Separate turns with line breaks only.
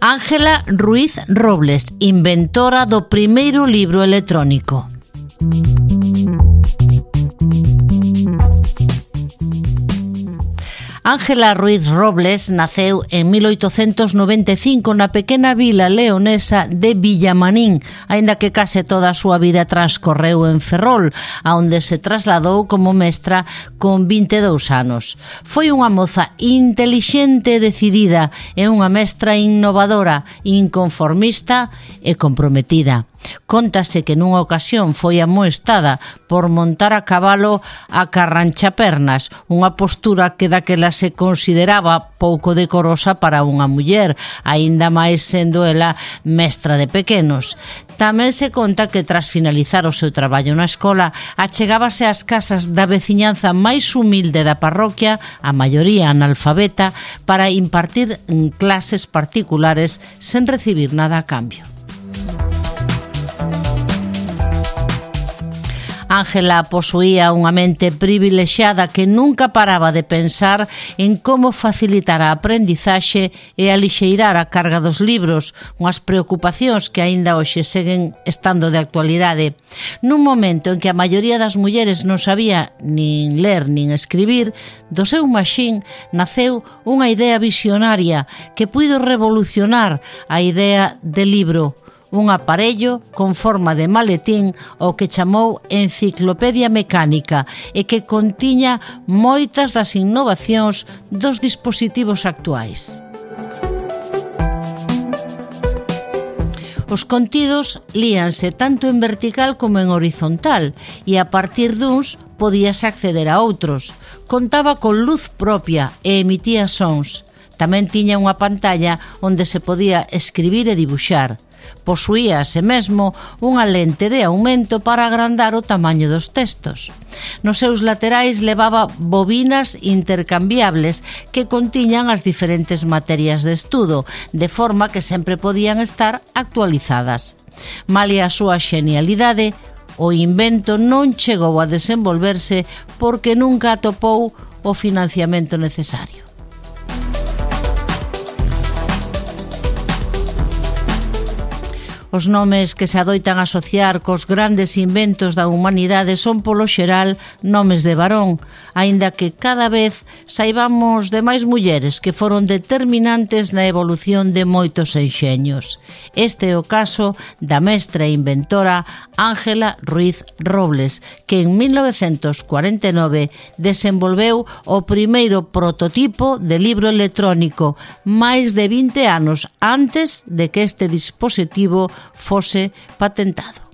Ángela Ruiz Robles, inventora do primeiro libro electrónico. Ángela Ruiz Robles naceu en 1895 na pequena vila leonesa de Villamanín, aínda que case toda a súa vida transcorreu en Ferrol, aonde se trasladou como mestra con 22 anos. Foi unha moza intelixente e decidida e unha mestra innovadora, inconformista e comprometida. Cóntase que nunha ocasión foi amoestada por montar a cabalo a carranchapernas, unha postura que daquela se consideraba pouco decorosa para unha muller, aínda máis sendo ela mestra de pequenos. Tamén se conta que tras finalizar o seu traballo na escola, achegábase ás casas da veciñanza máis humilde da parroquia, a maioría analfabeta, para impartir clases particulares sen recibir nada a cambio. Ángela posuía unha mente privilexiada que nunca paraba de pensar en como facilitar a aprendizaxe e alixeirar a carga dos libros, unhas preocupacións que aínda hoxe seguen estando de actualidade. Nun momento en que a maioría das mulleres non sabía nin ler nin escribir, do seu maxín naceu unha idea visionaria que puido revolucionar a idea de libro, un aparello con forma de maletín o que chamou Enciclopedia Mecánica e que contiña moitas das innovacións dos dispositivos actuais. Os contidos líanse tanto en vertical como en horizontal e a partir duns podíase acceder a outros. Contaba con luz propia e emitía sons. Tamén tiña unha pantalla onde se podía escribir e dibuxar. Posuía ase mesmo unha lente de aumento para agrandar o tamaño dos textos. Nos seus laterais levaba bobinas intercambiables que contiñan as diferentes materias de estudo, de forma que sempre podían estar actualizadas. Malia a súa xenialidade, o invento non chegou a desenvolverse porque nunca atopou o financiamento necesario. Os nomes que se adoitan asociar cos grandes inventos da humanidade son, polo xeral, nomes de varón, aínda que cada vez saibamos de máis mulleres que foron determinantes na evolución de moitos enxeños. Este é o caso da mestra e inventora Ángela Ruiz Robles, que en 1949 desenvolveu o primeiro prototipo de libro electrónico, máis de 20 anos antes de que este dispositivo fose patentado.